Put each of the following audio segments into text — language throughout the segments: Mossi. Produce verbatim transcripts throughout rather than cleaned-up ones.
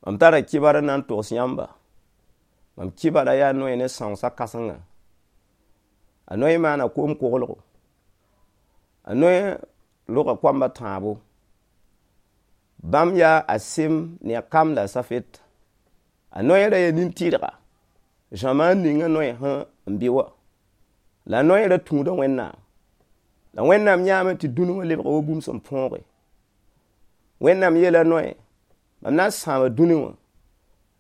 Mam tara kɩbar n na n togs yãmba. Mam kɩbara yaa Noe ne sãoosã kãsenga. A Noe maana koom-koglgo. A Noe roga koamba tãabo. Bãmb yaa a Sem ne a Kam la a Zafet. A Noe ra yaa nin-tɩrga zãmaan ninga Noe sẽn n bɩ wã. La a Noe ra tũuda Wẽnnaam. La Wẽnnaam yãame tɩ dũni wã lebga wa bũmb sẽn põoge. Wẽnnaam yeela Noe, mam na n sãama dũni wã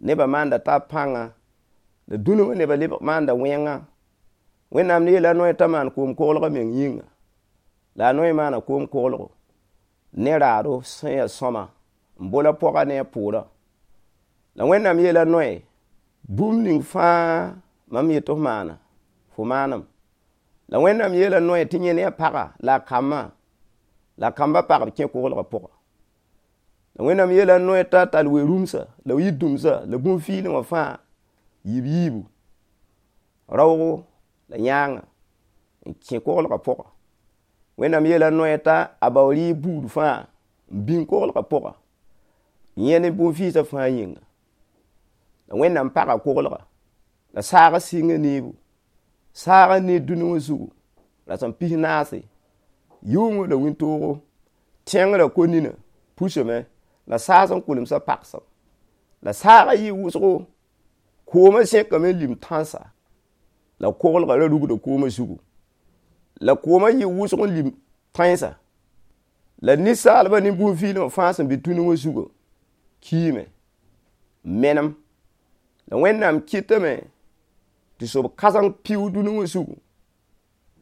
nebã maanda taab pãnga, la dũni wã nebã lebg maanda wẽnga. Wẽnnaam yeela a Noe t'a maan koom-koglg a meng yĩnga. La a Noe maana koom-koglgo ne raado sẽn yaa sõama n bol a pʋga ne a pʋʋrã. La Wẽnnaam yeela Noe, bũmb ning fãa mam yet tɩ f maana, fo maanem. La Wẽnnaam yeela Noe tɩ yẽ ne a paga la a kambã, la a kambã pagb kẽ koglgã pʋga. La Wẽnnaam yeela Noe t'a tall we-rũmsa la yir-dũmsa la bũn-fiilẽ wã fãa yiib yiibu, raoogo la yãanga n kẽ koglgã pʋga. Wẽnnaam yeela Noe t'a a bao rɩɩb buud fãa n bĩng koglgã pʋga, yẽ ne bũn-fɩɩsã fãa yĩnga. La Wẽnnaam paga koglga, la saagã sɩnga neebu. Saagã need dũni wã zugu, rasem pis-naase, yʋʋngã la wĩntoogo, tẽngrã ko-ninã pusame la saas n kulemsã pagsem. La saagã yɩ wʋsgo, koomã zẽkame n lim tãnsa, la koglgã ra rugda koomã zugu. La koomã yɩ wʋsg n lim tãensa. La ninsaalbã ne bũn-fiilẽ wã fãa sẽn be dũni wã zugã kiime n menem. La Wẽnnaam kɩtame tɩ sob kãseng piʋʋg dũni wã zugu.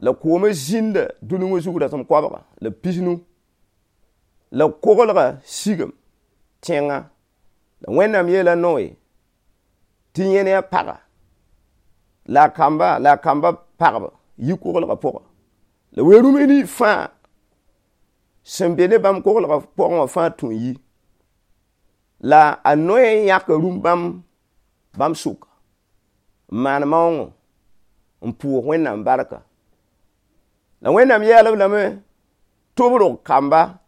La koomã zĩnda dũni wã zug rasem koabga la pisnu. La koglgã sigame tẽngã. La Wẽnnaam yeela Noe tɩ yẽ ne a paga la a kamba la a kambã pagb yi koglgã pʋga. La we-rũms nins fãa sẽn be ne bãmb koglgã pʋgẽ wã fãa tũ n yi. La a Noe yãka rũm-bãmb bãmb sʋka n maan maoongo n pʋʋs Wẽnnaam barka. La Wẽnnaam yeel-b lame tɩ b rog kamba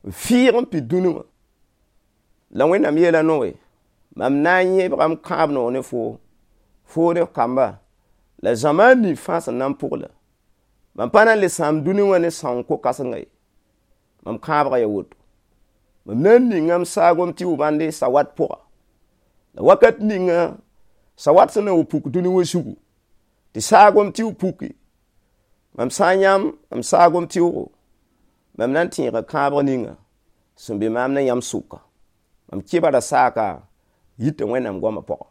n fɩɩg n pid dũni wã. La Wẽnnaam yeela Noe, mam na n yẽbga m kãab noog ne foo, foo ne f kamba, la zamaan nins fãa sẽn na n pʋgla. Mam pa na n le sãam dũni wã ne sãoong ko-kãsenga ye. Mam kãabgã yaa woto. Mam na n ninga m saagom tɩ bãnde sawat pʋga. La wakat ninga sawat sẽn na n wa puk dũni wã zugu, tɩ saagom tɩ puki, mam sã n yãm m saagom tɩʋgo, mam na n tẽega kãabg ninga sẽn be maam ne yãmb sʋka. Mam kɩbara saaka yita Wẽnnaam goamã pʋga.